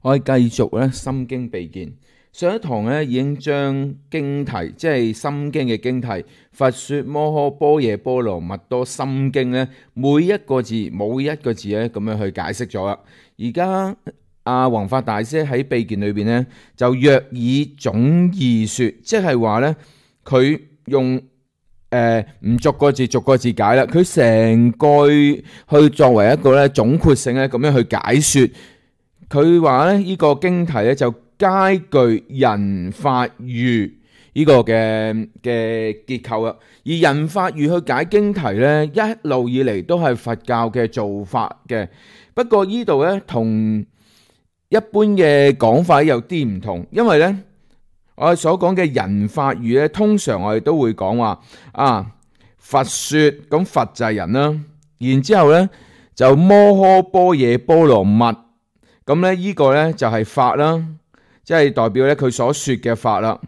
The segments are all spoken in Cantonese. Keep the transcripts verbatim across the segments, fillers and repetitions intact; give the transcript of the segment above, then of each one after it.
我哋繼續咧《心經》備見。上一堂咧已經將經題，即係《心經》嘅經題，《佛說摩訶般若波羅蜜多心經》咧，每一個字每一個字咧咁樣去解釋咗啦。而家阿弘法大師喺備見裏邊咧，就約以總義說，即係話咧佢用誒唔、呃、逐個字逐個字解啦，佢成句去作為一個咧總括性咧咁樣去解說。佢話咧呢個經題咧就皆具人法喻呢個嘅嘅結構啦。而人法喻去解經題咧，一路以嚟都係佛教嘅做法嘅。不過呢度咧同一般嘅講法有啲唔同，因為咧我哋所講嘅人法喻咧，通常我哋都會講話啊佛說，咁佛就係人啦，然之後咧就摩訶般若波羅蜜。咁咧呢個咧就係法啦，即係代表咧佢所說嘅法啦。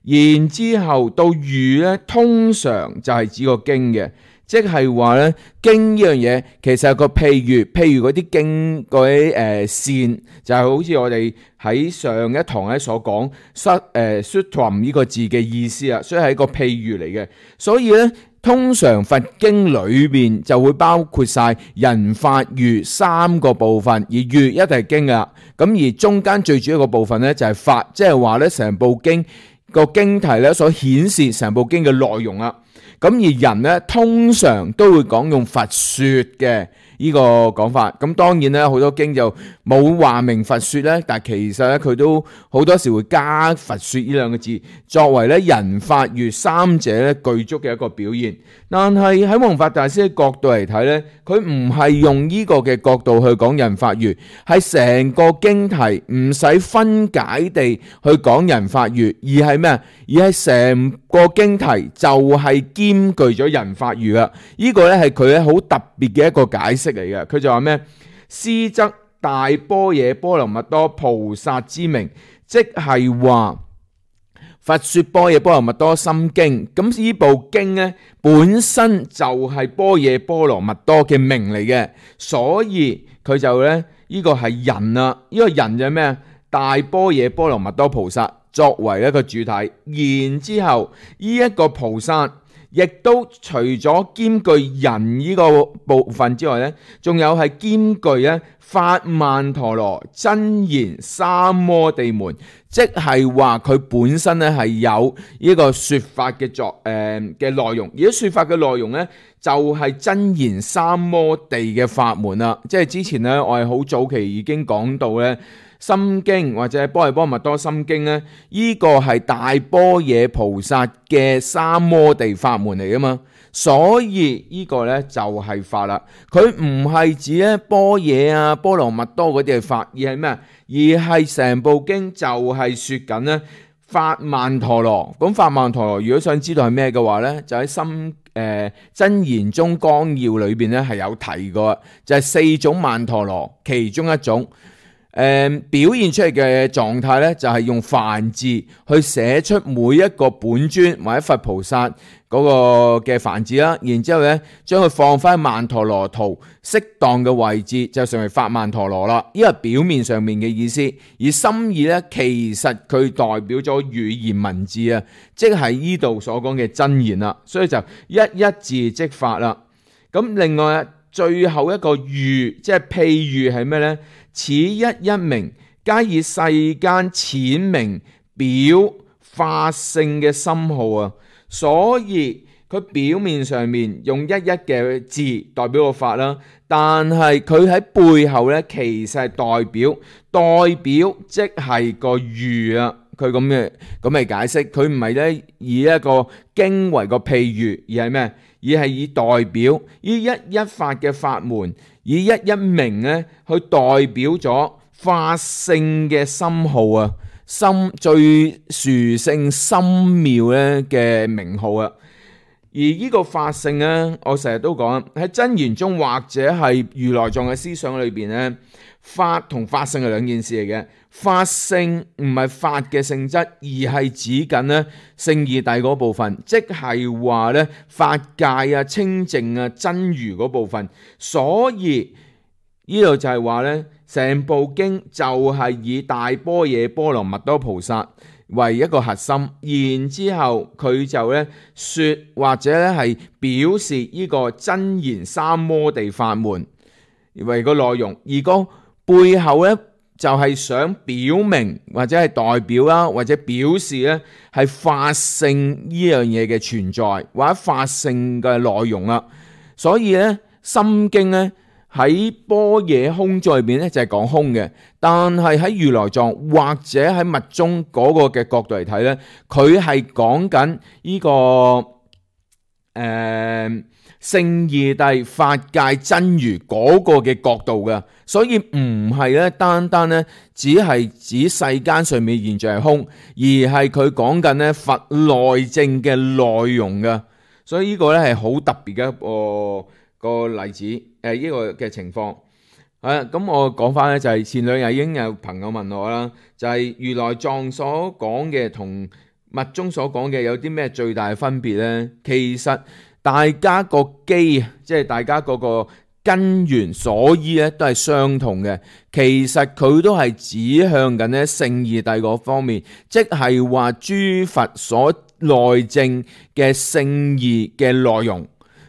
然之後到喻咧，通常就係指個經嘅，即係話咧經呢樣嘢其實係個譬喻，譬如嗰啲經嗰啲誒線，就係、是、好似我哋喺上一堂咧所講失誒 sutram 呢個字嘅意思啊，所以係一個譬喻嚟嘅。所以咧通常佛經裏邊就會包括晒人法喻三個部分，而喻一定係經噶。咁而中間最主要個部分咧就係法，即係話咧成部經個經題咧所顯示成部經嘅內容啊。咁而人咧通常都會講用佛說嘅呢個講法。咁當然咧好多經就冇話明佛說咧，但係其實咧佢都好多時會加佛說呢兩個字，作為咧人法喻三者咧具足嘅一個表現。但係喺弘法大師嘅角度嚟睇咧，佢唔係用呢個嘅角度去講人法喻，係成個經題唔使分解地去講人法喻，而係咩？而係成個經題就係兼具咗人法喻啦。呢個咧係佢咧好特別嘅一個解釋嚟嘅。佢就話咩？斯則大般若波羅蜜多菩薩之名，即係話佛說般若波羅蜜多心經。咁呢部經咧本身就係般若波羅蜜多嘅名嚟嘅，所以佢就咧呢個係人啊。呢個人就係咩？大般若波羅蜜多菩薩作為一個主體，然之後呢一個菩薩亦都除咗兼具人呢個部分之外咧，仲有係兼具咧法曼陀羅真言三摩地門，即係話佢本身咧係有呢個說法嘅作誒嘅內容，而啲說法嘅內容咧就係真言三摩地嘅法門啦。即係之前咧我係好早期已經講到咧。心經或者般若波羅蜜多心經咧，呢個係大般若菩薩嘅三摩地法門嚟噶嘛，所以呢個咧就係法啦。佢唔係指咧般若啊、波羅蜜多嗰啲係法，而係咩？而係成部經就係說緊咧法曼陀羅。咁法曼陀羅如果想知道係咩嘅話咧，就喺心誒、呃、真言宗綱要裏邊咧係有提過，就係、是、四種曼陀羅其中一種。誒、嗯、表現出嚟嘅狀態咧，就係用梵字去寫出每一個本尊或者佛菩薩嗰個嘅梵字啦，然之後咧將佢放翻曼陀羅圖適當嘅位置，就成為法曼陀羅啦。呢個係表面上面嘅意思，而心意咧其實佢代表咗語言文字啊，即係呢度所講嘅真言啦。所以就一一字即法啦。咁另外最後一個喻，即係譬喻係咩咧？此一一名，皆以世間淺明表法性嘅深號啊，所以佢表面上面用一一嘅字代表個法啦，但係佢喺背後咧，其實係代表代表即係個喻啊。佢咁嘅咁嚟解釋，佢唔係咧以一個經為個譬喻，而係咩？而係以代表以一一法嘅法門，以一一名咧去代表咗法性嘅深號啊，深最殊勝深妙咧嘅名號啊。而呢個法性咧，我成日都講喺真言中或者係如來藏嘅思想裏邊咧，法同法性係兩件事嚟嘅。法性唔係法嘅性質，而係指緊咧聖義諦嗰部分，即係話咧法界啊、清淨啊、真如嗰部分。所以呢度就係話咧，成部經就係以大般若波羅蜜多菩薩為一個核心，然之後佢就咧說或者咧係表示呢個真言三摩地法門為個內容，而個背後咧就係想表明或者係代表啦，或者表示咧係法性呢樣嘢嘅存在，或者法性嘅內容啦。所以咧心經咧喺般若空座入邊咧就係講空嘅，但係喺如來藏或者喺密宗嗰個嘅角度嚟睇咧，佢係講緊呢個誒聖義諦法界真如嗰個嘅角度嘅，所以唔係咧單單咧只係指世間上面現象係空，而係佢講緊咧佛內證嘅內容嘅，所以呢個咧係好特別嘅一個個例子，誒、呃、呢、這個嘅情況。啊，咁我講翻咧就係前兩日已經有朋友問我啦，就係、是、如來藏所講嘅同密宗所講嘅有啲咩最大嘅分別咧？其實大家個基，即係大家嗰個根源所依咧，都係相同嘅。其實佢都係指向緊咧聖義諦嗰方面，即係話諸佛所內證嘅聖義嘅內容，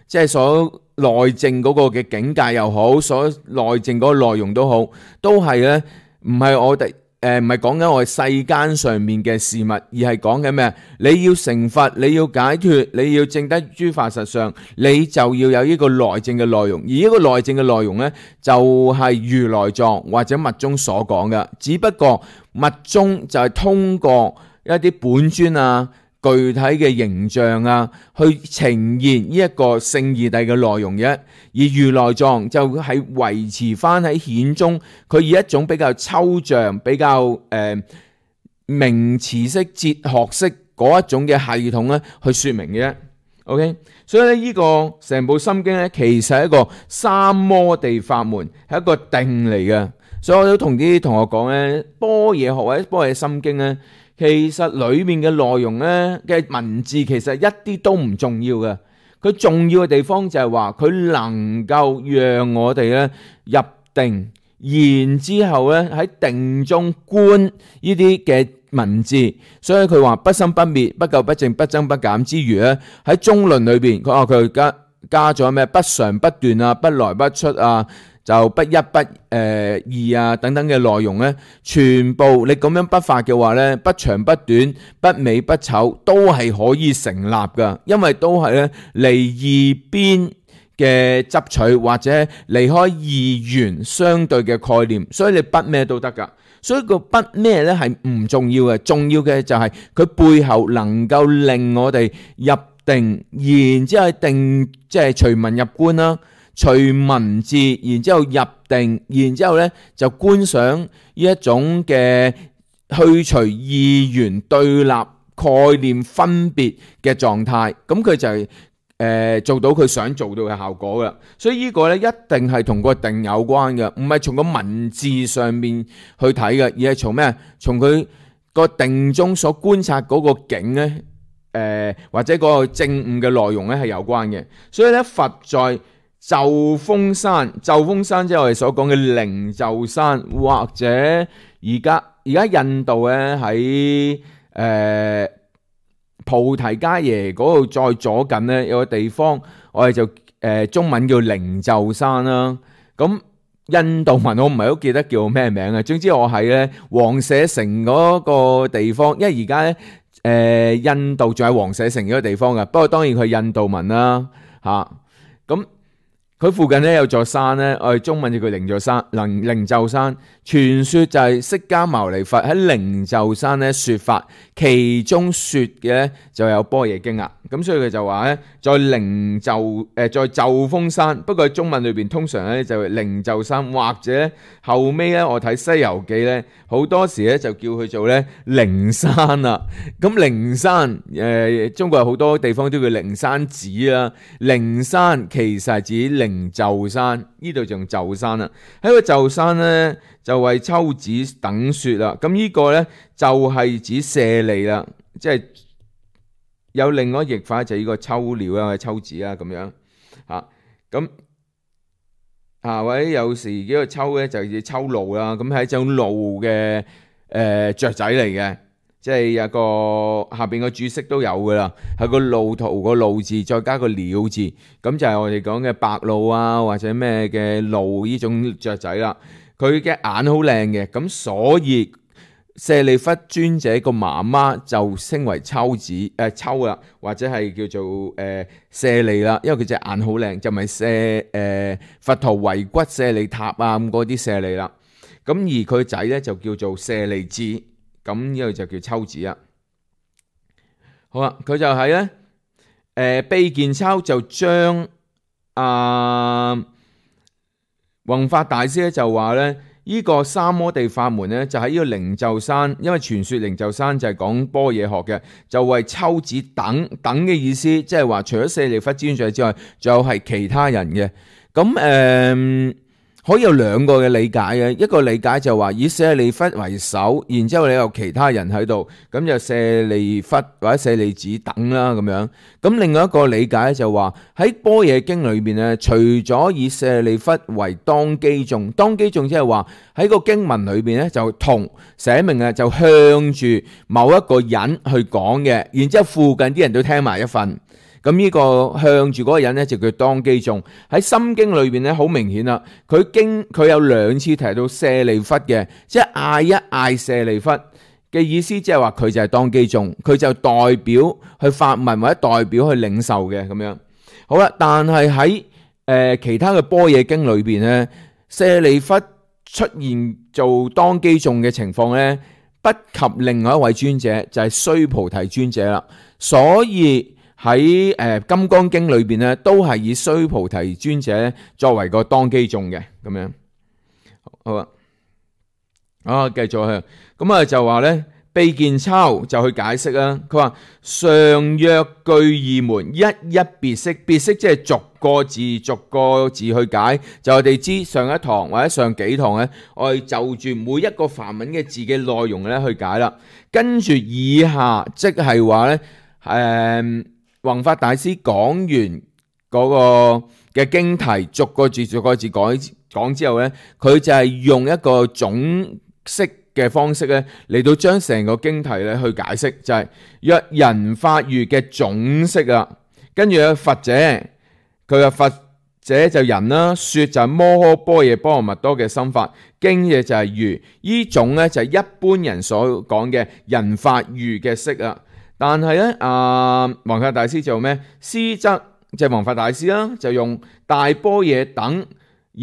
即係所內證嗰個嘅境界又好，所內證嗰個內容都好，都係咧唔係我哋。誒，唔係講緊我哋世間上面嘅事物，而係講緊咩？你要成佛，你要解脫，你要證得諸法實相，你就要有呢個內證嘅內容。而呢個內證嘅內容呢，就係如來藏或者密宗所講嘅。只不過密宗就係通過一啲本尊啊、具體嘅形象啊，去呈現呢一個聖義諦嘅內容嘅。而如來藏就係維持翻喺顯宗，佢以一種比較抽象、比較誒、呃、名詞式、哲學式嗰一種嘅系統咧，去說明嘅。OK， 所以咧呢個成部心經咧，其實係一個三摩地法門，係一個定嚟嘅。所以我都同啲同學講咧，般若學或者般若心經咧，其實裏面嘅內容咧嘅文字其實一啲都唔重要嘅。佢重要嘅地方就係話佢能夠讓我哋咧入定，然之後咧喺定中觀呢啲嘅文字，所以佢話不生不滅、不垢不淨、不增不減之餘咧，喺中論裏邊佢話佢加加咗咩不常不斷啊、不來不出啊、就不一不誒二啊等等嘅內容咧，全部你咁樣不發嘅話咧，不長不短、不美不醜，都係可以成立噶，因為都係咧離二邊嘅執取或者離開二元相對嘅概念，所以你不咩都得噶。所以個不咩咧係唔重要嘅，重要嘅就係佢背後能夠令我哋入定，然之後定即係隨文入觀啦。隨文字，然之後入定，然之後咧就觀想呢一種嘅去除二元對立概念分別嘅狀態，咁佢就係、是、誒、呃、做到佢想做到嘅效果噶。所以呢個咧一定係同個定有關嘅，唔係從個文字上面去睇嘅，而係從咩？從佢個定中所觀察嗰個境咧，誒、呃、或者嗰個證悟嘅內容咧係有關嘅。所以咧佛在咒峰山，咒峰山即係我哋所講嘅靈鷲山，或者而家而家印度咧喺誒菩提伽耶嗰度再左近咧有個地方，我哋就誒、呃、中文叫靈鷲山啦。咁印度文我唔係好記得叫咩名啊。總之我喺咧王舍城嗰個地方，因為而家咧誒印度仲喺王舍城嗰個地方噶，不過當然佢係印度文啦吓咁。佢附近咧有座山咧，我哋中文就叫靈鷲山、靈靈鷲山。傳說就係釋迦牟尼佛喺靈鷲山咧說法，其中說嘅咧就有般若經啊。咁所以佢就話咧，在靈鷲誒，在咒峰山。不過喺中文裏邊通常咧就係靈鷲山，或者後尾咧我睇《西遊記》咧，好多時咧就叫佢做咧靈山啦。咁靈山誒、呃，中國有好多地方都叫靈山寺啦。靈山其實係指靈鷲山，呢度就用鷲山啦。喺個鷲山咧就為秋子等說啦。咁呢個咧就係指舍利啦，即係有另外一個譯法就係呢個秋鳥啊、秋子啊咁樣嚇。咁啊，或者有時呢個秋咧就叫秋鷺啦，咁係一種鷺嘅誒雀仔嚟嘅，即係有個下邊個注釋都有噶啦，係個鷺圖個鷺字再加個鳥字，咁就係我哋講嘅白鷺啊或者咩嘅鷺呢種雀仔啦。佢嘅眼好靚嘅，咁所以舍利弗尊者個媽媽就稱為秋子誒、呃、秋啦，或者係叫做誒、呃、舍利啦，因為佢隻眼好靚，就唔係舍誒佛陀遺骨舍利塔啊咁嗰啲舍利啦。咁而佢仔咧就叫做舍利子，咁呢個就叫秋子啦。好啦，佢就係咧誒卑賤秋就將啊弘法大師咧就話咧。呢個三摩地法門咧，就喺呢個靈鷲山，因為傳說靈鷲山就係講般若學嘅，就為秋子等等嘅意思，即係話除咗舍利弗尊者之外，仲有係其他人嘅。咁誒、呃、可以有兩個嘅理解嘅，一個理解就話以舍利弗為首，然之後你有其他人喺度，咁就舍利弗或者舍利子等啦咁樣。咁另外一個理解就話喺般若經裏邊咧，除咗以舍利弗為當機眾，當機眾即係話喺個經文裏邊咧就同寫明啊，就向住某一個人去講嘅，然之後附近啲人都聽埋一份。咁呢個向住嗰個人咧就叫當機眾。喺心經裏邊咧好明顯啦，佢經佢有兩次提到舍利弗嘅，即係嗌一嗌舍利弗嘅意思，即係話佢就係當機眾，佢就代表去發問或者代表去領受嘅咁樣。好啦，但係喺誒其他嘅般若經裏邊咧，舍利弗出現做當機眾嘅情況咧，不及另外一位尊者，就係須菩提尊者啦。所以喺誒金剛經裏邊咧，都係以須菩提尊者作為個當機眾嘅咁樣。好啊，啊繼續去，咁啊就話咧，卑賤秋就去解釋啦。佢話上若具二門，一一別釋，別釋即係逐個字逐個字去解。就我哋知上一堂或者上幾堂咧，我哋就住每一個梵文嘅字嘅內容咧去解啦。跟住以下即係話咧，誒、呃。弘法大師講完嗰個嘅經題，逐個字逐個字講講之後咧，佢就係用一個總釋嘅方式咧嚟到將成個經題咧去解釋，就係、是、若人法喻嘅總釋啊。跟住咧佛者，佢嘅佛者就人啦，說就係摩訶般若波羅蜜多嘅心法，經嘅就係喻，呢種咧就係一般人所講嘅人法喻嘅釋啊。但係咧，啊，弘法大師就咩？師則即係弘法大師啦，就用大般若等，而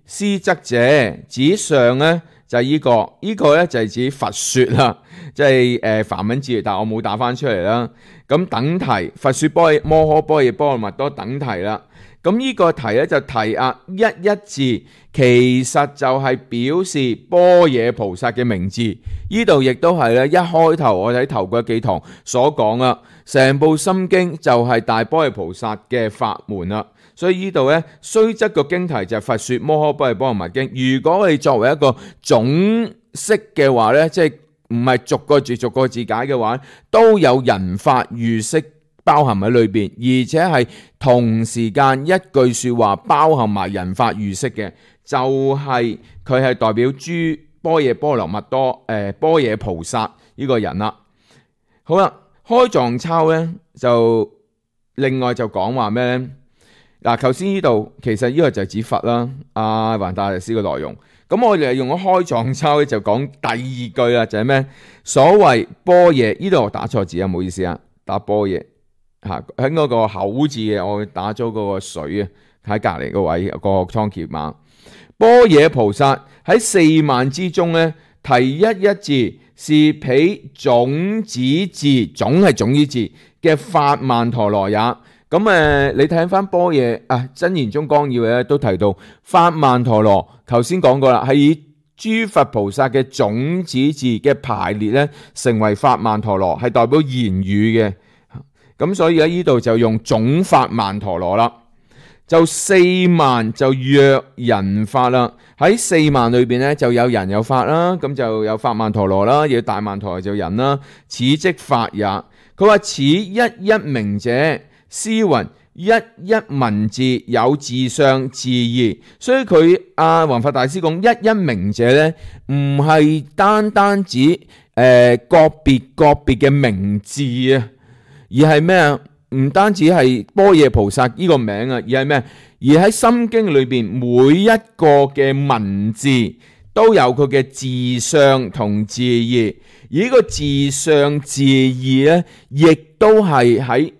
師則者指上咧就係呢、這個，呢、這個咧就係指佛說啦，即係誒梵文字，但係我冇打翻出嚟啦。咁等題，佛說般若摩訶般若波羅蜜多等題啦。咁呢個題咧就題啊一一字，其實就係表示般若菩薩嘅名字。呢度亦都係咧一開頭我哋喺頭嗰幾堂所講啦，成部心經就係大般若菩薩嘅法門啦。所以呢度咧雖則個經題就係佛說摩訶般若波羅蜜經，如果我哋作為一個總釋嘅話咧，即係唔係逐個字逐個字解嘅話，都有人法喻釋包含喺裏邊，而且係同時間一句說話包含埋人法喻釋嘅，就係佢係代表諸般若波羅蜜多誒般若菩薩呢個人啦。好啦，開藏抄咧就另外就講話咩咧？嗱，頭先呢度其實呢個就係指佛啦，阿弘大師嘅內容。咁我哋用咗開藏抄咧就講第二句啦，就係咩？所謂般若，呢度我打錯字啊，唔好意思啊，打般若。吓喺嗰個口字嘅，我打咗嗰個水啊，喺隔籬個位個倉頡碼。般若菩薩喺四萬之中咧，提一一字是彼種子字，總係種子字嘅法曼陀羅也。咁誒，你睇翻般若啊，真言宗綱要咧都提到法曼陀羅，頭先講過啦，係以諸佛菩薩嘅種子字嘅排列咧，成為法曼陀羅，係代表言語嘅。咁所以喺呢度就用總法曼陀羅啦，就四萬就若人法啦。喺四萬裏邊咧就有人有法啦，咁就有法曼陀羅啦，有大曼陀羅就人啦。此即法也。佢話此一一名者，斯云一一文字有自上自義，所以佢阿弘法大師講一一名者呢，唔係單單指誒、呃、個別個別嘅名字啊，而係咩啊？唔單止係般若菩薩呢個名啊，而係咩？而喺心經裏邊每一個嘅文字都有佢嘅自上同自義，而呢個自上自義呢，亦都係喺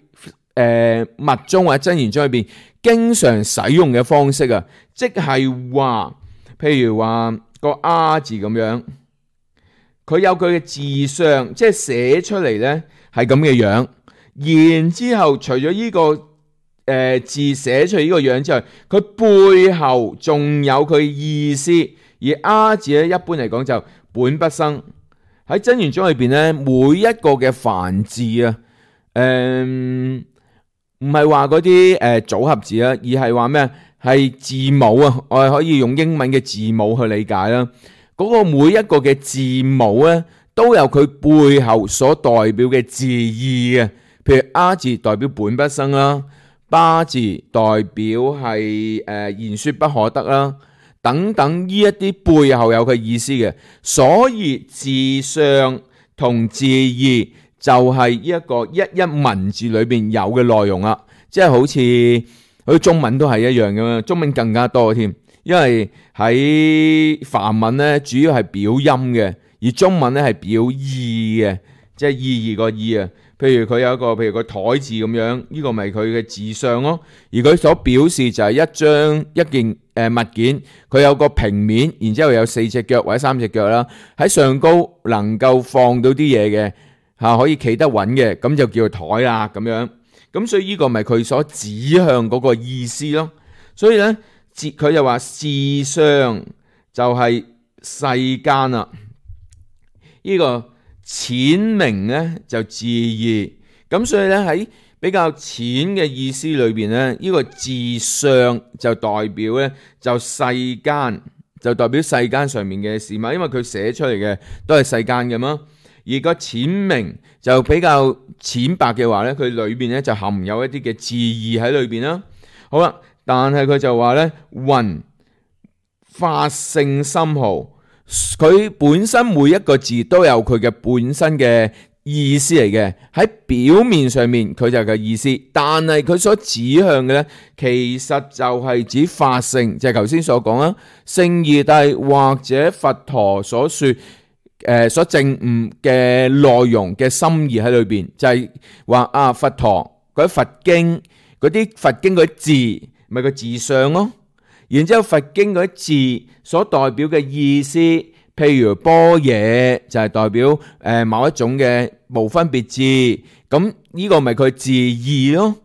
誒密宗或者真言宗裏邊經常使用嘅方式啊，即係話，譬如話個啊字咁樣，佢有佢嘅自上，即係寫出嚟呢係咁嘅樣。然之後，除咗呢、這個誒、呃、字寫出嚟呢個樣之外，佢背後仲有佢意思。而啊字咧，一般嚟講就本不生。喺真言宗裏邊咧，每一個嘅梵字啊，誒唔係話嗰啲誒組合字啊，而係話咩？係字母啊，我哋可以用英文嘅字母去理解啦。嗰、那個每一個嘅字母咧，都有佢背後所代表嘅字義嘅。譬如啊字代表本不生啦，巴字代表係誒言說不可得啦，等等呢一啲背後有佢意思嘅，所以自上同自義就係呢一個一一文字裏邊有嘅內容啦，即係好似好似中文都係一樣咁樣，中文更加多添，因為喺梵文咧主要係表音嘅，而中文咧係表意嘅，即係意義個意啊。譬如佢有一個，譬如個台字咁樣，呢、這個咪佢嘅自上咯。而佢所表示就係一張一件誒、呃、物件，佢有個平面，然之後有四隻腳或者三隻腳啦，喺上高能夠放到啲嘢嘅嚇，可以企得穩嘅，咁就叫做台啦咁樣。咁所以呢個咪佢所指向嗰個意思咯。所以咧，自佢就話自上就係世間啦，呢、這個。淺明咧就自義，咁所以咧喺比較淺嘅意思裏邊咧，呢、這個自上就代表咧就世間，就代表世間上面嘅事嘛，因為佢寫出嚟嘅都係世間嘅嘛。而個淺明就比較淺白嘅話咧，佢裏邊咧就含有一啲嘅自義喺裏邊啦。好啦，但係佢就話咧，云法性深奧。佢本身每一個字都有佢嘅本身嘅意思嚟嘅，喺表面上面佢就係個意思，但係佢所指向嘅咧，其實就係指法性，就係頭先所講啦，聖義諦或者佛陀所說誒、呃、所證悟嘅內容嘅心意喺裏邊，就係、是、話啊佛陀嗰啲佛經嗰啲佛經嗰啲字，咪個字相咯。然之後佛經嗰啲字所代表嘅意思，譬如般若就係代表誒某一種嘅無分別智，咁呢個咪佢字義咯。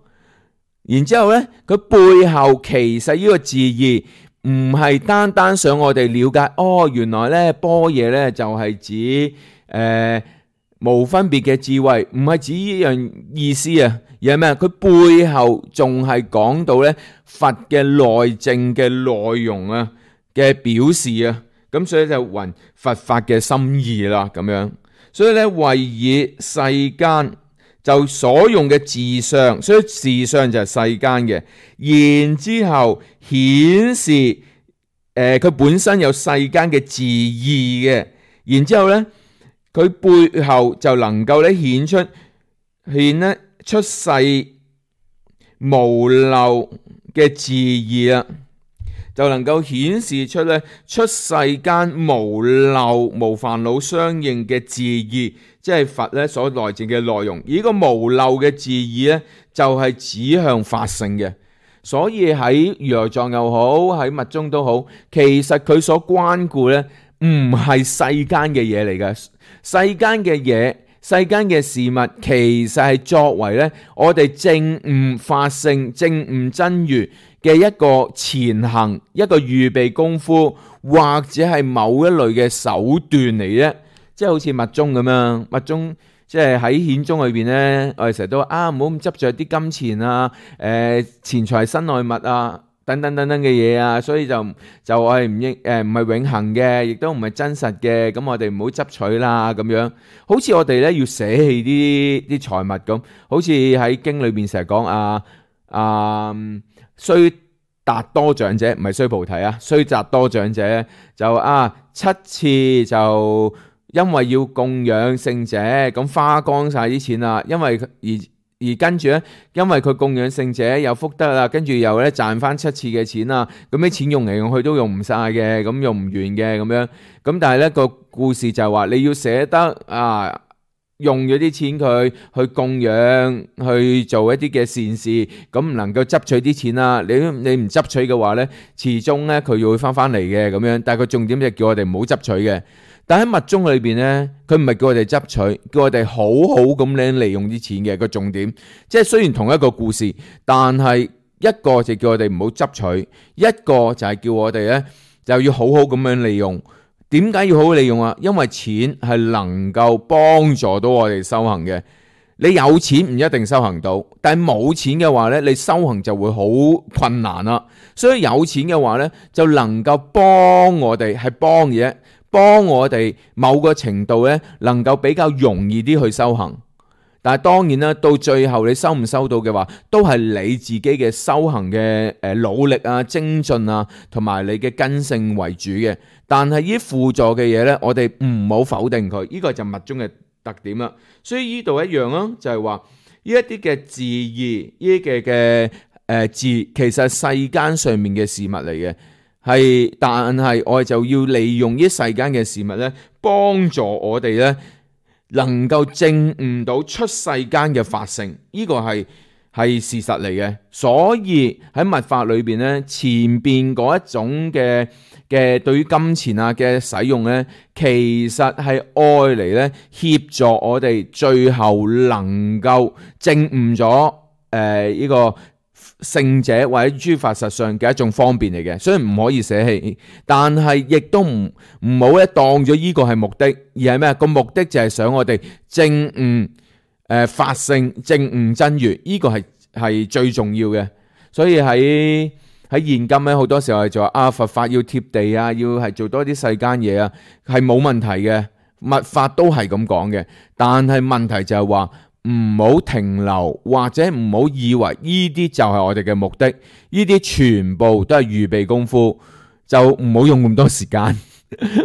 然之後咧，佢背後其實呢個字義唔係單單想我哋了解，哦原來咧般若咧就係指誒、呃、無分別嘅智慧，唔係指呢樣意思啊。而係咩？佢背後仲係講到咧佛嘅內證嘅內容啊嘅表示啊，咁所以就云佛法嘅心意啦咁樣。所以咧為以世間就所用嘅自上，所以自上就係世間嘅。然之後顯示誒佢、呃、本身有世間嘅自義嘅。然之後咧佢背後就能夠咧顯出顯咧。出世無漏嘅自義啦，就能夠顯示出咧出世間無漏無煩惱相應嘅自義，即係佛咧所內證嘅內容。而呢個無漏嘅自義咧，就係指向法性嘅。所以喺如來藏又好，喺密宗都好，其實佢所關顧咧唔係世間嘅嘢嚟嘅，世間嘅嘢。世間嘅事物其實係作為咧我哋證悟法性、證悟真如嘅一個前行、一個預備功夫，或者係某一類嘅手段嚟啫。即係好似密宗咁樣，密宗即係喺顯宗裏邊咧，我哋成日都話啊，唔好咁執着啲金錢啊、誒、呃、錢財身外物啊。等等等等嘅嘢啊，所以就就我係唔應誒唔係永恆嘅，亦都唔係真實嘅，咁我哋唔好執取啦咁樣。好似我哋咧要捨棄啲啲財物咁，好似喺經裏邊成日講啊啊須達多長者，唔係須菩提啊，須達多長者就啊七次就因為要供養聖者，咁花光晒啲錢啦，因為而而跟住咧，因為佢供養聖者有福德啦，跟住又咧賺翻七次嘅錢啦，咁啲錢用嚟用去都用唔晒嘅，咁用唔完嘅咁樣，咁但係咧個故事就係話你要捨得啊。用咗啲錢佢去供養，去做一啲嘅善事，咁唔能夠執取啲錢啦。你你唔執取嘅話呢，始終呢佢又會翻翻嚟嘅咁樣。但係佢重點就叫我哋唔好執取嘅。但喺密宗裏邊呢，佢唔係叫我哋執取，叫我哋好好咁樣利用啲錢嘅個重點。即係雖然同一個故事，但係一個就叫我哋唔好執取，一個就係叫我哋呢就要好好咁樣利用。點解要好好利用啊？因為錢係能夠幫助到我哋修行嘅。你有錢唔一定修行到，但係冇錢嘅話呢，你修行就會好困難啦。所以有錢嘅話呢，就能夠幫我哋係幫嘢，幫我哋某個程度呢，能夠比較容易啲去修行。但係當然啦，到最後你收唔收到嘅話，都係你自己嘅修行嘅誒努力啊、精進啊，同埋你嘅根性為主嘅。但係呢啲輔助嘅嘢呢，我哋唔好否定佢，呢、這個就密宗嘅特點啦。所以呢度一樣啦，就係話呢一啲嘅字義，呢啲嘅嘅誒字，其實係世間上面嘅事物嚟嘅，係但係我哋就要利用呢世間嘅事物呢，幫助我哋呢。能夠證悟到出世間嘅法性，呢、這個係係事實嚟嘅。所以喺密法裏邊咧，前邊嗰一種嘅嘅對於金錢啊嘅使用咧，其實係愛嚟咧協助我哋最後能夠證悟咗誒呢個聖者或者諸法實相嘅一種方便嚟嘅，所以唔可以捨棄，但係亦都唔唔好咧當咗呢個係目的，而係咩？個目的就係想我哋證悟誒、呃、法性，證悟真如，呢、這個係係最重要嘅。所以喺喺現今咧，好多時候係就話啊佛法要貼地啊，要係做多啲世間嘢啊，係冇問題嘅，密法都係咁講嘅，但係問題就係話。唔好停留，或者唔好以為呢啲就係我哋嘅目的，呢啲全部都係預備功夫，就唔好用咁多時間。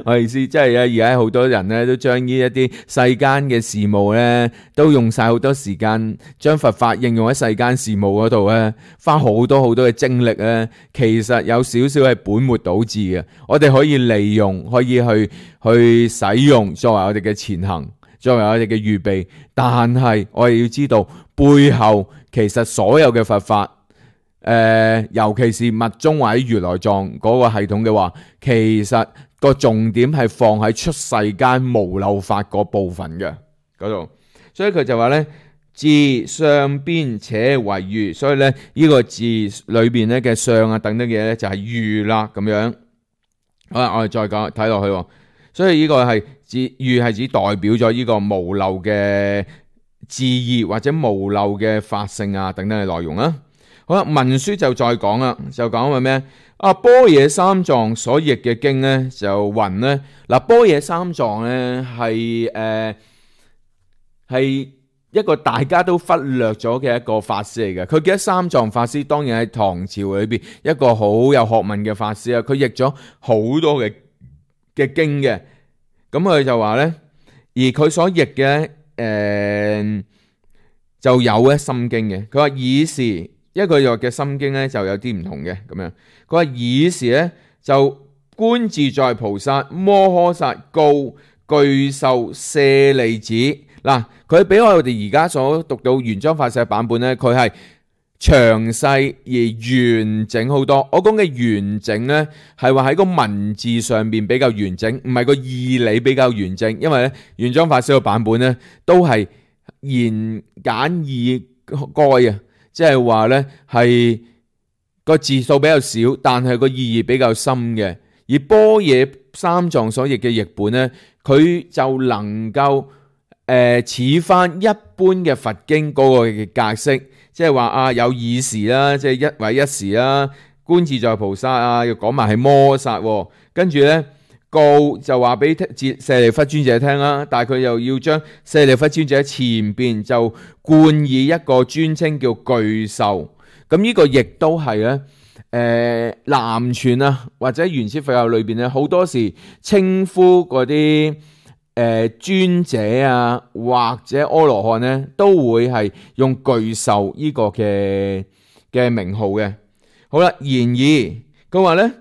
我意思即係而家好多人咧都將呢一啲世間嘅事務咧，都用晒好多時間，將佛法應用喺世間事務嗰度咧，花好多好多嘅精力咧，其實有少少係本末倒置嘅。我哋可以利用，可以去去使用作為我哋嘅前行。作為我哋嘅預備，但係我哋要知道背後其實所有嘅佛法，誒、呃，尤其是密宗或者如來藏嗰個系統嘅話，其實個重點係放喺出世間無漏法嗰部分嘅嗰度，所以佢就話咧，字相邊且為喻，所以咧呢、這個字裏邊咧嘅相啊等等嘅嘢咧就係喻啦咁樣。好啦，我哋再講睇落去，所以呢個係。喻係指代表咗呢個無漏嘅字義或者無漏嘅法性啊等等嘅內容啦。好啦，文書就再講啦，就講話咩啊？般若三藏所譯嘅經咧就云咧嗱，般若三藏咧係誒係一個大家都忽略咗嘅一個法師嚟嘅。佢記得三藏法師當然喺唐朝裏邊一個好有學問嘅法師啊，佢譯咗好多嘅嘅經嘅。咁佢就話咧，而佢所譯嘅誒就有咧心經嘅。佢話爾時，一個譯嘅心經咧就有啲唔同嘅咁樣。佢話爾時咧就觀自在菩薩摩訶薩告具壽舍利子嗱，佢比我哋而家所讀到玄奘法師嘅版本咧，佢係詳細而完整好多。我講嘅完整呢，係話喺個文字上面比較完整，唔係個義理比較完整。因為咧，玄奘法師嘅版本呢，都係言簡意賅啊，即係話呢係個字數比較少，但係個意義比較深嘅。而般若三藏所譯嘅譯本呢，佢就能夠誒似翻一般嘅佛經嗰個嘅格式。即係話啊，有爾時啦，即係一位一時啦，觀自在菩薩啊，要講埋係摩薩，跟住咧告就話俾舍利弗尊者聽啦，但係佢又要將舍利弗尊者前邊就冠以一個尊稱叫具壽。咁呢個亦都係咧，誒南傳啊或者原始佛教裏邊咧，好多時稱呼嗰啲誒尊者啊或者阿羅漢咧，都會係用巨獸呢個嘅嘅名號嘅。好啦，然而佢話咧，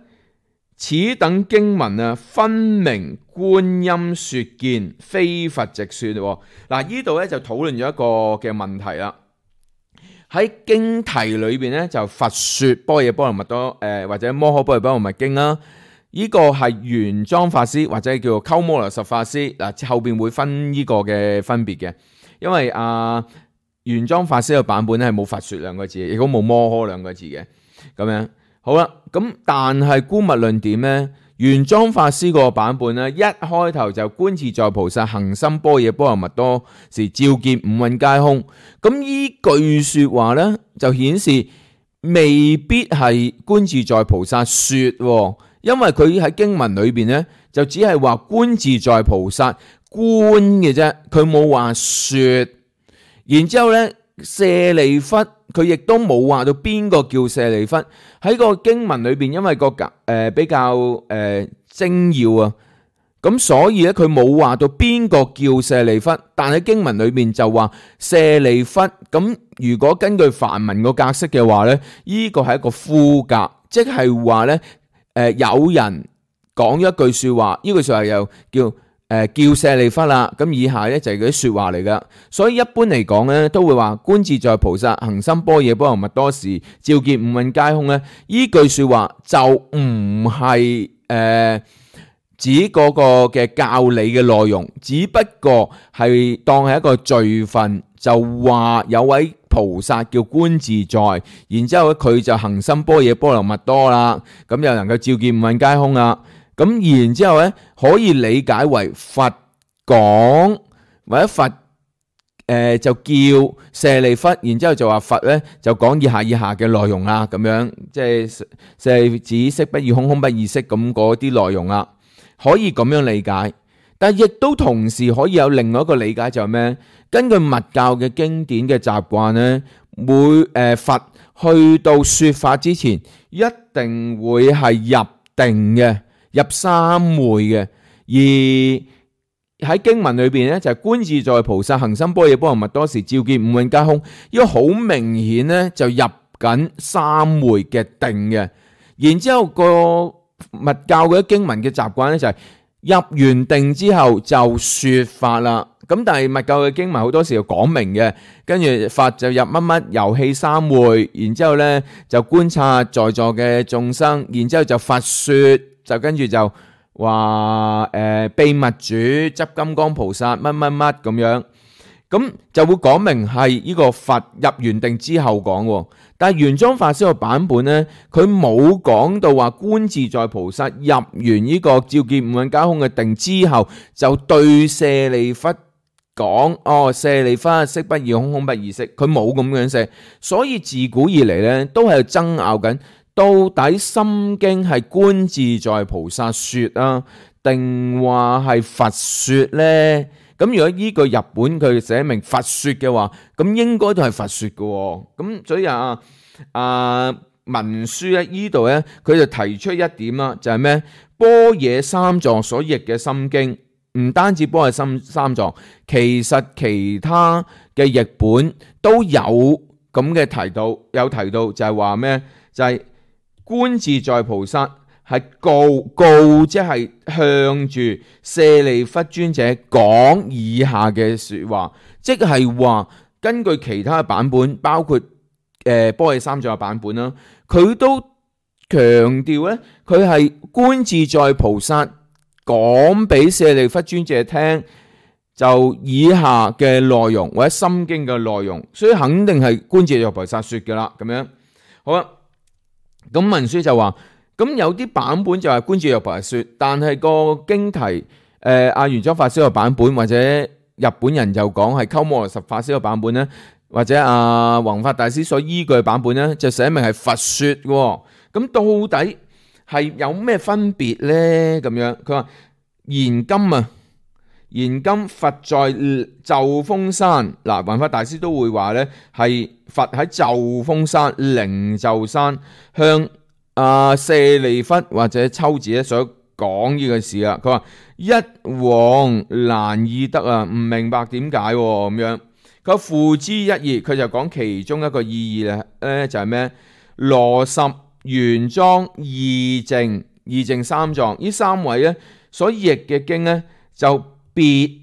此等經文啊，分明觀音說見，非佛直說。嗱，呢度咧就討論咗一個嘅問題啦。喺經題裏邊咧，就佛說般若波羅蜜多誒、呃、或者摩訶般若波羅蜜經啦。呢、這個係玄奘法師或者叫做鳩摩羅什法師嗱，後邊會分呢個嘅分別嘅，因為啊玄奘法師嘅版本咧係冇佛說兩個字，亦都冇摩訶兩個字嘅咁樣。好啦，咁但係觀物論點咧？玄奘法師個版本咧，一開頭就觀自在菩薩行深般若波羅蜜多時，照見五蘊皆空。咁依句說話咧，就顯示未必係觀自在菩薩說，因為佢喺經文裏邊咧，就只係話觀自在菩薩觀嘅啫，佢冇話說。然之後咧，舍利弗佢亦都冇話到邊個叫舍利弗。喺個經文裏邊，因為個誒、呃、比較誒、呃、精要啊，咁所以咧佢冇話到邊個叫舍利弗，但喺經文裏邊就話舍利弗。咁如果根據梵文個格式嘅話咧，呢個係一個呼格，即係話咧誒有人講咗一句說話，呢句說話又叫誒、呃、叫舍利弗啦。咁以下咧就係嗰啲說話嚟噶，所以一般嚟講咧都會話觀自在菩薩行深般若波羅蜜多時，照見五蘊皆空咧。呢句說話就唔係誒指嗰個嘅教理嘅內容，只不過係當係一個序分，就話有位菩薩叫觀自在，然之後咧佢就行深般若波羅蜜多啦，咁又能夠照見五蘊皆空啦。咁然之後咧，可以理解為佛講，或者佛誒、呃、就叫舍利弗，然之後就話佛咧就講以下以下嘅內容啦，咁樣即係舍利子色不異空，空不異色咁嗰啲內容啦，可以咁樣理解。但係亦都同時可以有另外一個理解，就係咩？根據密教嘅經典嘅習慣咧，每誒、呃、佛去到說法之前，一定會係入定嘅。入三昧嘅，而喺經文裏邊咧就係觀自在菩薩行深般若波羅蜜多時，照見五蘊皆空，呢個好明顯咧就入緊三昧嘅定嘅。然之後個密教嗰啲經文嘅習慣咧就係入完定之後就說法啦。咁但係密教嘅經文好多時要講明嘅，跟住佛就入乜乜遊戲三昧，然之後咧就觀察在座嘅眾生，然之後就佛說。就跟住就話誒、呃、秘密主執金剛菩薩乜乜乜咁樣，咁就會講明係呢個佛入完定之後講。但係玄奘法師個版本咧，佢冇講到話觀自在菩薩入完呢個照見五蘊皆空嘅定之後，就對舍利弗講：哦，舍利弗，色不異空，空不異色。佢冇咁樣寫，所以自古以嚟咧都係爭拗緊。到底心經係觀自在菩薩說啊，定話係佛說呢？咁如果依句日本佢寫明佛說嘅話，咁應該都係佛說嘅。咁所以啊啊文書咧依度咧，佢就提出一點啦，就係咩？般若三藏所譯嘅心經，唔單止般若三三藏，其實其他嘅譯本都有咁嘅提到，有提到就係話咩？就係、是。觀自在菩薩係告告，即係向住舍利弗尊者講以下嘅說話，即係話根據其他嘅版本，包括誒般若三藏嘅版本啦，佢都強調咧，佢係觀自在菩薩講俾舍利弗尊者聽，就以下嘅內容或者心經嘅內容，所以肯定係觀自在菩薩說嘅啦。咁樣好啦。咁文書就話，咁有啲版本就係觀自在菩薩說，但係個經題誒阿玄奘法師個版本，或者日本人就講係鳩摩羅什法師個版本咧，或者阿弘法大師所依據嘅版本咧，就寫明係佛說喎。咁到底係有咩分別咧？咁樣佢話現今啊，現今佛在就風山，嗱，弘法大師都會話呢係佛喺就風山、靈鷲山向啊舍利弗或者秋子咧所講呢個事啊。佢話一往難易得啊，唔明白點解咁樣。佢付之一義，佢就講其中一個意義咧，就係咩？羅什、玄奘、義淨、義淨三藏呢三位咧所譯嘅經咧就別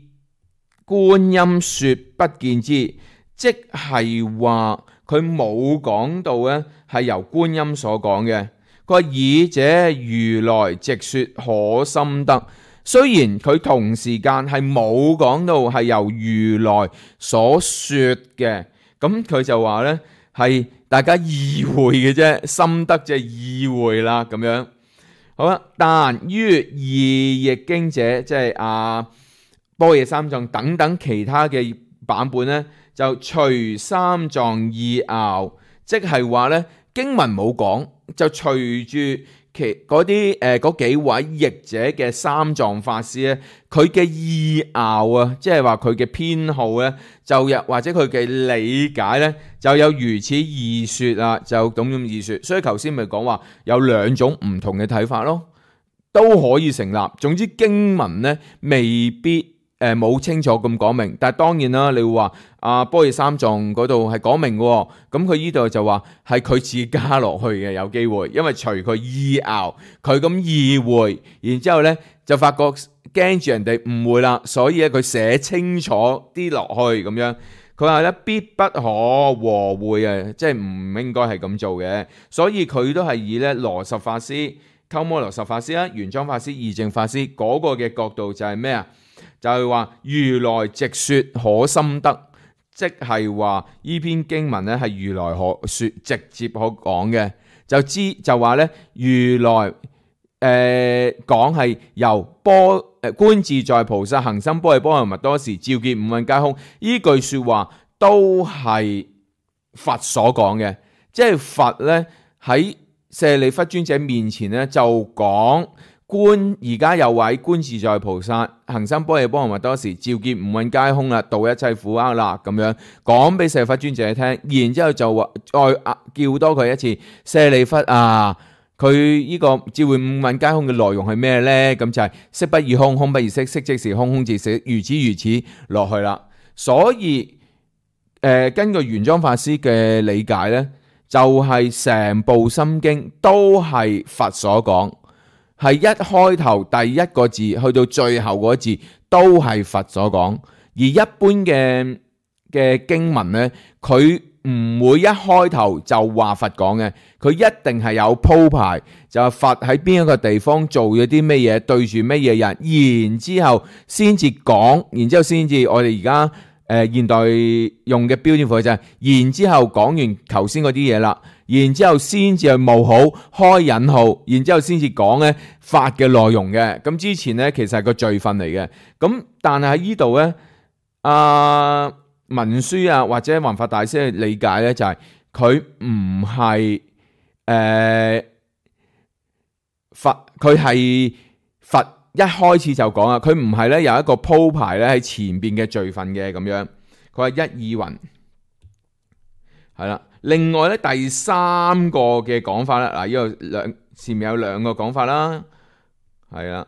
觀音說不見之，即係話佢冇講到咧係由觀音所講嘅。佢話爾者如來直說可深得，雖然佢同時間係冇講到係由如來所說嘅，咁佢就話咧係大家意會嘅啫，深得就係意會啦咁樣。好啦，但於二譯經者，即係啊般若三藏等等其他嘅版本咧，就隨三藏意拗，即係話咧經文冇講，就隨住其嗰啲誒嗰幾位譯者嘅三藏法師咧，佢嘅意拗啊，即係話佢嘅偏好咧，就有或者佢嘅理解咧，就有如此意說啊，就咁樣意說。所以頭先咪講話有兩種唔同嘅睇法咯，都可以成立。總之經文咧未必誒冇、呃、清楚咁講明，但係當然啦，你會話啊般若三藏嗰度係講明嘅，咁佢呢度就話係佢自己加落去嘅，有機會，因為隨佢意拗，佢咁意會，然之後咧就發覺驚住人哋誤會啦，所以咧佢寫清楚啲落去咁樣。佢話咧必不可和會啊，即係唔應該係咁做嘅，所以佢都係以咧羅什法師、鳩摩羅什法師啦、玄奘法師、義淨法師嗰個嘅角度就係咩啊？就係話如來直說可深得，即係話呢篇經文咧係如來可說直接可講嘅，就知就話咧如來誒講係由波誒觀自在菩薩行深般若波羅蜜多時，照見五蘊皆空，呢句說話都係佛所講嘅，即係佛咧喺舍利弗尊者面前咧就講。觀而家有位觀自在菩薩行深般若波羅蜜多時，照見五蘊皆空啦，度一切苦厄啦，咁樣講俾舍利弗尊者聽，然之後就話再叫多佢一次，舍利弗啊，佢呢個照見五蘊皆空嘅內容係咩呢？咁就係色不異空，空不異色，色即是空，空即是色，如此如此落去啦。所以誒、呃，根據玄奘法師嘅理解呢，就係、是、成部心經都係佛所講。係一開頭第一個字去到最後嗰字都係佛所講，而一般嘅嘅經文呢，佢唔會一開頭就話佛講嘅，佢一定係有鋪排，就係佛喺邊一個地方做咗啲咩嘢，對住咩嘢人，然之後先至講，然之後先至我哋而家誒現代用嘅標點符號就係，然之後講完頭先嗰啲嘢啦。然之後先至係冒號開引號，然之後先至講咧法嘅內容嘅。咁之前咧其實係個序分嚟嘅。咁但係喺呢度咧，阿文殊啊或者弘法大師嘅理解咧就係佢唔係誒佛，佢係佛一開始就講啊，佢唔係咧有一個鋪排咧喺前邊嘅序分嘅咁樣。佢話一意云係啦。另外咧第三個嘅講法咧，嗱呢個兩前面有兩個講法啦，係啦，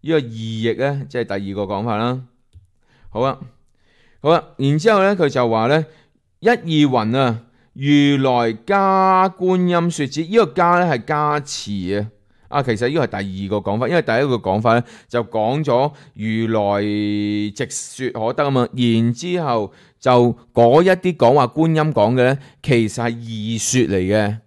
呢個二譯咧即係第二個講法啦。好啊，好啊，然之後咧佢就話咧一意云啊，如來加觀音說之，呢、這個加咧係加持啊。啊，其實呢個係第二個講法，因為第一個講法咧就講咗如來直說可得啊嘛，然之後就嗰一啲講話觀音講嘅咧，其實係異說嚟嘅，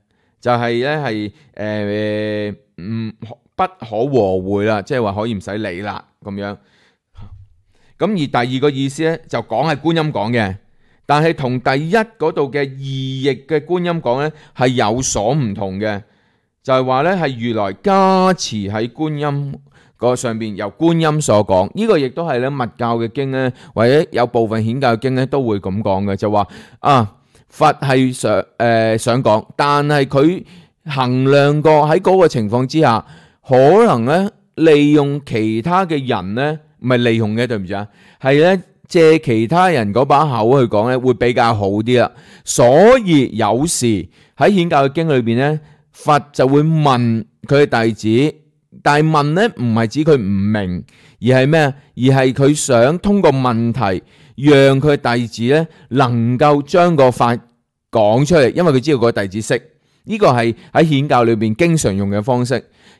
就係咧係誒唔不可和會啦，即係話可以唔使理啦咁樣。咁而第二個意思咧就講係觀音講嘅，但係同第一嗰度嘅異譯嘅觀音講咧係有所唔同嘅。就係話咧，係如來加持喺觀音個上邊，由觀音所講。呢、這個亦都係咧密教嘅經咧，或者有部分顯教嘅經咧都會咁講嘅，就話啊佛係想誒、呃、想講，但係佢衡量過喺嗰個情況之下，可能咧利用其他嘅人咧唔係利用嘅，對唔住啊，係咧借其他人嗰把口去講咧，會比較好啲啦。所以有時喺顯教嘅經裏邊咧，佛就會問佢嘅弟子，但係問咧唔係指佢唔明，而係咩啊？而係佢想通過問題，讓佢嘅弟子咧能夠將個法講出嚟，因為佢知道個弟子識。呢個係喺顯教裏邊經常用嘅方式。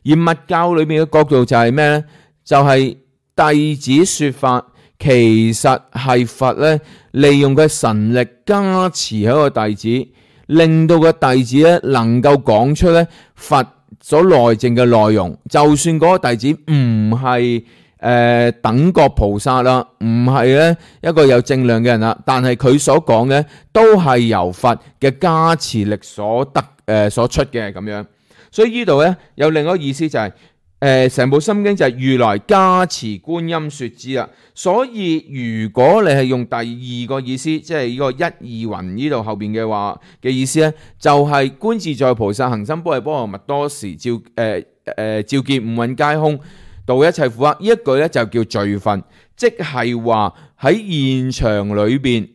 而密教裏邊嘅角度就係咩咧？就係弟子說法，其實係佛咧利用佢神力加持喺個弟子，令到個弟子咧能夠講出咧佛所內證嘅內容。就算嗰個弟子唔係誒等覺菩薩啦，唔係咧一個有正量嘅人啦，但係佢所講嘅都係由佛嘅加持力所得誒、呃、所出嘅咁樣。所以呢度咧有另一個意思就係誒成部心經就係如來加持觀音說之啦。所以如果你係用第二個意思，即係呢個一二雲呢度後邊嘅話嘅意思咧，就係、是、觀自在菩薩行深般若波羅蜜多時照誒誒、呃、照見五蘊皆空，度一切苦厄。呢一句咧就叫序分，即係話喺現場裏邊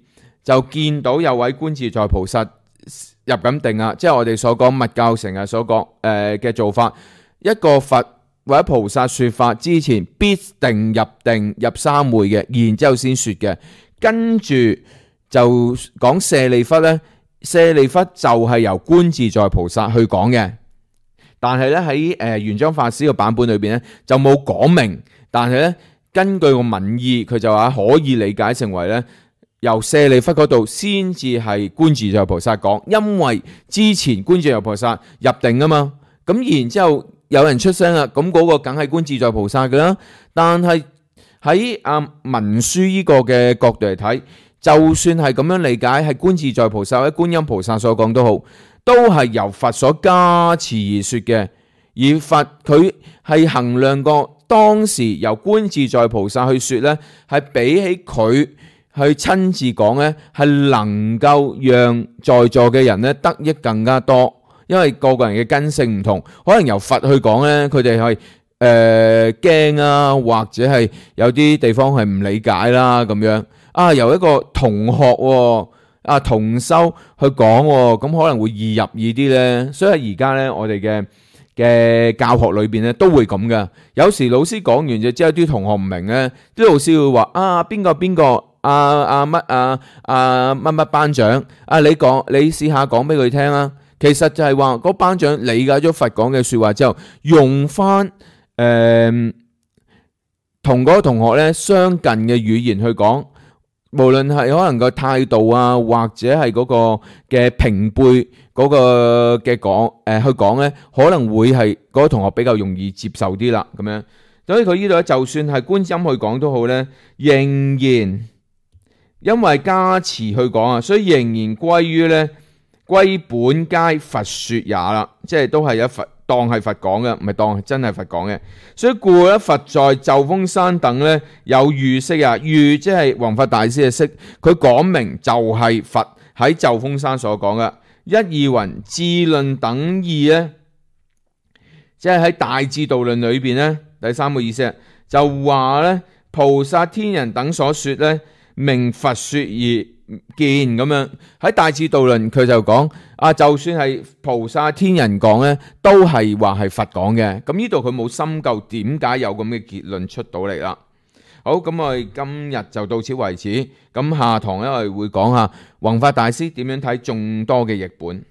就見到有位觀自在菩薩入緊定啊，即係我哋所講密教成日所講誒嘅做法。一個佛或者菩薩說法之前，必定入定入三昧嘅，然之後先說嘅。跟住就講舍利弗咧，舍利弗就係由觀自在菩薩去講嘅。但係咧喺誒玄奘法師嘅版本裏邊咧就冇講明，但係咧根據個文意，佢就話可以理解成為咧由舍利弗嗰度先至係觀自在菩薩講，因為之前觀自在菩薩入定啊嘛，咁然之後有人出聲啦，咁嗰個梗係觀自在菩薩噶啦。但係喺啊文書呢個嘅角度嚟睇，就算係咁樣理解，係觀自在菩薩或者觀音菩薩所講都好，都係由佛所加持而說嘅。而佛佢係衡量過當時由觀自在菩薩去說呢，係比起佢去親自講呢，係能夠讓在座嘅人呢得益更加多。因為個個人嘅根性唔同，可能由佛去講呢，佢哋係誒驚啊，或者係有啲地方係唔理解啦咁樣。啊，由一個同學喎，啊同修去講喎，咁可能會易入耳啲呢。所以而家呢，我哋嘅嘅教學裏邊呢都會咁嘅。有時老師講完就之後啲同學唔明呢，啲老師會話啊邊個邊個啊啊乜啊啊乜乜班長啊，你講你試下講俾佢聽啊。其實就係話嗰班長理解咗佛講嘅說話之後，用翻誒同嗰個同學咧相近嘅語言去講，無論係可能個態度啊，或者係嗰個嘅平輩嗰個嘅講誒去講咧，可能會係嗰個同學比較容易接受啲啦。咁樣，所以佢呢度咧，就算係觀音去講都好咧，仍然因為加持去講啊，所以仍然歸於咧。歸本皆佛說也啦，即係都係有佛當係佛講嘅，唔係當係真係佛講嘅。所以故咧，佛在咒風山等咧有喻釋啊，喻即係弘法大師嘅釋，佢講明就係佛喺咒風山所講嘅。一二云智論等義咧，即係喺大智度論裏邊咧，第三個意思就話咧，菩薩天人等所說咧，名佛說而見咁樣。喺大智度論佢就講啊，就算係菩薩天人講咧，都係話係佛講嘅。咁呢度佢冇深究點解有咁嘅結論出到嚟啦。好，咁我哋今日就到此為止。咁下堂咧我哋會講下弘法大師點樣睇眾多嘅譯本。